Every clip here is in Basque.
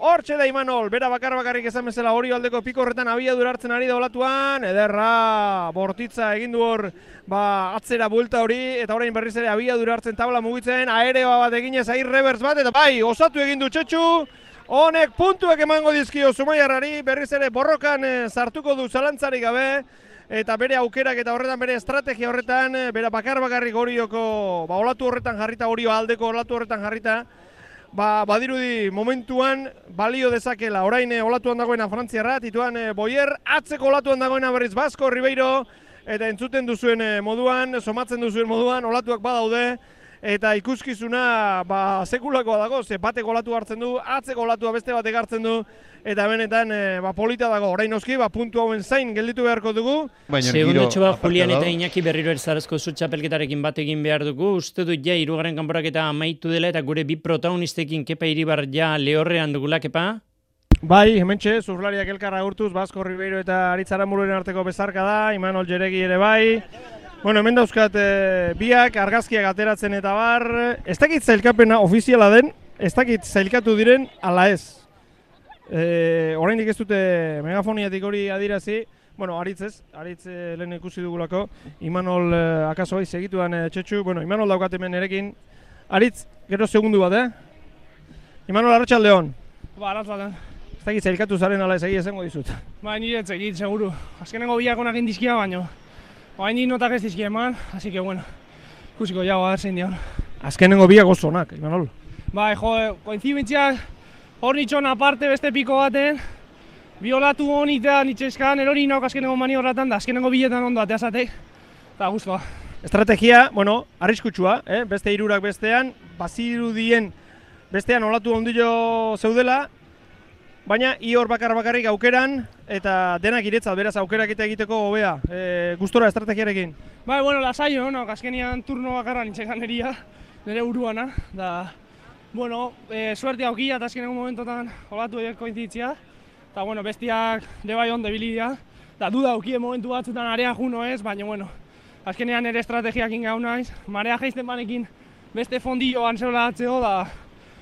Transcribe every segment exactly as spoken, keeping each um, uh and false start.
Hortxe da Imanol, bera bakar bakarrik esan bezala hori aldeko piko horretan abiadura hartzen ari da olatuan, ederra, bortitza egin du hor ba, atzera buelta hori, eta orain berriz ere abiadura hartzen tabla mugitzen, aereoa bat eginez, air reverse bat, eta bai, osatu egin du Txetxu, honek puntuak emango dizkio Zumaiarrari, berriz ere borrokan sartuko du zalantzarik gabe, eta bere aukerak eta horretan bere estrategia horretan, bera bakar bakarrik horioko, ba, olatu horretan jarrita, horio aldeko olatu horretan jarrita, Ba, badirudi momentuan balio dezakela, orain olatuan dagoena Frantziarra, tituan Boyer, atzeko olatuan dagoena berriz Basko Ribeiro, eta entzuten duzuen moduan, somatzen duzuen moduan, olatuak badaude, eta ikuskizuna ba, sekulakoa dago, ze bateko olatu hartzen du, atzeko olatua beste batek hartzen du, eta benetan ba, polita dago, orain oski, ba, puntu hauen zain gelditu beharko dugu. Segundotxo bat, Julian eta Iñaki berriro erzarezko zutxapelketarekin bat egin behar dugu, uste dut ja, hirugarren kanporaketa amaitu dela, eta gure bi protagonistekin Kepa Iribar ja lehorrean dugula, Kepa? Bai, hementxe, zurlariak elkarra urtuz, Basko Ribeiro eta Aritz Aranbururen arteko bezarka da, Imanol Jeregi ere bai. Bueno, hemen dauzkat e, biak, argazkiak ateratzen eta bar, ez dakit zailkapena ofiziala den, ez dakit zailkatu diren ala ez. E, oraindik ez dute megafoniatik hori adirazi, bueno, Aritz ez, Aritz e, lehen ikusi dugulako, Imanol e, akaso bai segituan e, Txetxu, bueno, Imanol daukat hemen erekin. Aritz, gero segundu bat, eh? Imanol, arratsaldeon. Ba, arratsaldeon. Ez dakit zailkatu zaren ala ez egia esango dizut. Ba, nire ez egit, seguru. Azkenengo biak onak indizkia baino. Ba, ni notak ez dizkia eman, así que bueno, ikusiko jau, a ver zein dion. Azkenengo biak oso onak, Imanol. Ba, jo, koinzibentziak hor nitxon aparte beste piko baten, biolatu honik da nitxeskan, erori nauk azkenengo mani horretan, da azkenengo biletan ondo ateazatek, eta guztua. Estrategia, bueno, arriskutsua, eh? Beste hirurak bestean, bazirudien bestean olatu ondilo zeudela, baina i hor bakar bakarrik aukeran, eta denak iretzat, beraz aukerak eta egiteko hobea, e, gustora estrategiarekin. Bai, bueno, lasaio, no? Azkenian turno bakarra nintzen ganeria, nire buruana, da, bueno, e, suerte aukia eta azkenengo momentotan olatu horiek koinzitzia, eta, bueno, bestiak de bai ondo bilidia, da, duda aukie momentu batzutan area juno ez, baina, bueno, azkenean ere estrategiakin gau naiz, marea jaizten banekin beste fondilloan zeula atzeo, da,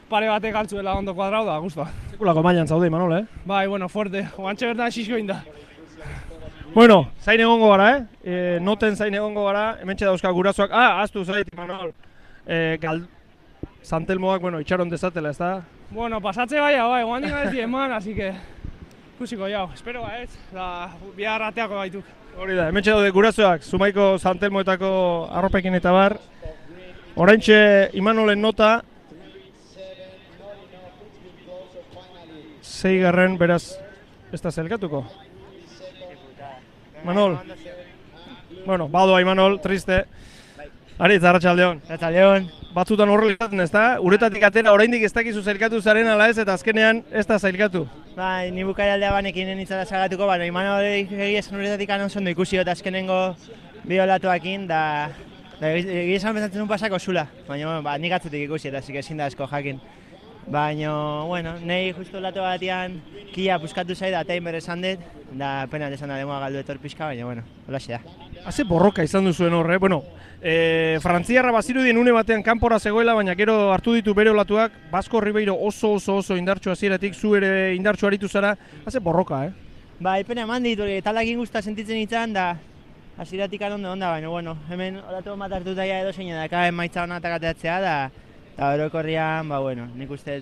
pare batek altzuela ondo kuadrau da, guztua. Sekulako mailan zaude, Imanol, eh? Bai, bueno, fuerte. Oantxe bertan xixko inda. Bueno, zain egongo gara, eh? E, noten zain egongo gara, hementxe dauzka gurasoak. Ah, aztu zait, Imanol. E, gal... Santelmoak, bueno, itxaron dezatela, ez da? Bueno, pasatze bai, bai, guan dina ez eman, así que... Kusiko jau, espero ba ez, da bihar ateako baituk. Hori da, hementxe daude gurasoak, Zumaiko Santelmoetako arropekin eta bar. Oraintxe Imanolen nota, Seigarren, beraz, ez da zelkatuko. Manol. Bueno, badoa Imanol, triste. Aritz, arratsaldeon. Arratsaldeon. Batzutan horrela izaten, ez da? Uretatik atera, oraindik ez dakizu zelkatu zaren ala ez, eta azkenean ez da zelkatu. Bai, ni bukaeraldea banekin nintzala zagatuko, baina Imanol egia esan uretatik anon zondo ikusi eta azkenengo bi olatuakin, da... Egia esan bezatzen duen pasako zula, baina ba, nik atzutik ikusi eta zik ezin da asko jakin. Baina, bueno, nahi justu olatu batean kia puskatu zai da eta inber esan dut, da pena esan da demoa galdu etor pixka, baina, bueno, holaxe da. Haze borroka izan duzuen horre, bueno, e, Frantziarra bazirudien une batean kanpora zegoela, baina gero hartu ditu bere olatuak, Basko Ribeiro oso oso oso indartsu hasieratik, zu ere indartsu aritu zara, haze borroka, eh? Ba, pena eman dit, talakin guzta sentitzen nintzen, da hasieratik ondo onda, baina, bueno, hemen olatu bat hartu daia edo zein edaka emaitza hona atakateatzea, da eta orokorrian, ba, bueno, nik uste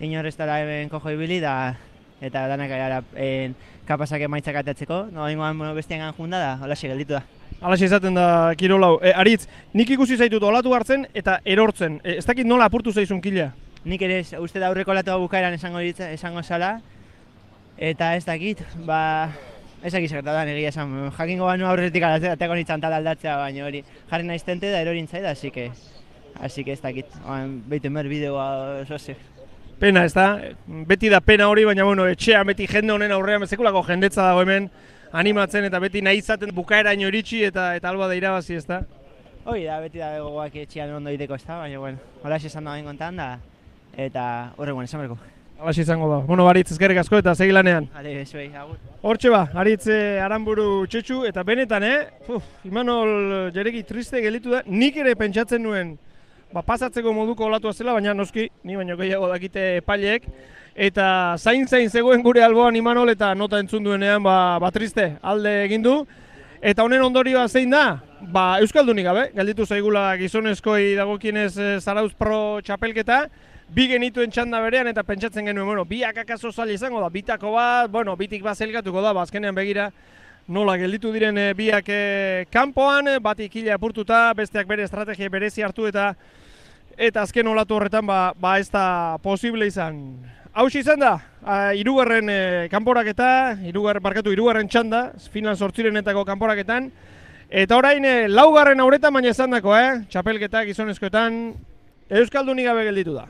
inorreztara hemen kojo ibili, da eta danak gara kapazak emaitzak atatzeko, no, ingoan bueno, bestian gan junda da, holaxe gelditu da. Halaxe izaten da kirolau. E, Aritz, nik ikusi zaitut olatu hartzen eta erortzen. E, ez dakit nola apurtu zaizun kila? Nik ere uste da aurreko olatua bukaeran esango ditza, esango zala, eta ez dakit, ba, ez dakit zertatan egia esan, jakingo banu aurretik ateko nintzen tal aldatzea, baina hori jarri naiztente da erorintzai da, así que, así que ez dakit, behitu mer bideoa oso ze. Pena, ez da? Beti da pena hori, baina bueno, etxean beti jende honen aurrean, sekulako jendetza dago hemen, animatzen eta beti nahi izaten bukaeraino iritsi eta eta alba da irabazi, ez da? Hoi da, beti da gogoak etxean ondo egiteko, ez da, baina bueno, holaxe esan da bain kontan da, eta horregoen esan berko. Halaxe izango da. Bueno, Aritz, ezkerrik asko eta segi lanean. Ade, bezuei, agur. Hortxe ba, Aritz Aranburu Txetxu, eta benetan, eh? Uf, Imanol Jeregi triste gelditu da, nik ere pentsatzen nuen ba, pasatzeko moduko olatua zela, baina noski, ni baino gehiago dakite epaileek, eta zain-zain zegoen gure alboan Imanol eta nota entzun duenean ba, ba triste alde egin du. Eta honen ondorioa zein da? Ba, Euskaldunik gabe, gelditu zaigula gizonezkoi dagokienez e, Zarauz Pro txapelketa, bi genituen txanda berean eta pentsatzen genuen, bueno, biak akaso zaila izango da, bitako bat, bueno, bitik bat zelgatuko da, azkenean begira, nola gelditu diren e, biak e, kanpoan, batik hila apurtuta, besteak bere estrategia berezi hartu eta eta azken olatu horretan ba, ba ez da posible izan. Hauxe izan da, hirugarren e, kanporaketa, hirugarren barkatu hirugarren txanda, final zortzirenetako kanporaketan, eta orain e, laugarren auretan baina izan dako, eh? Txapelketa gizonezkoetan Euskaldunik gabe gelditu da.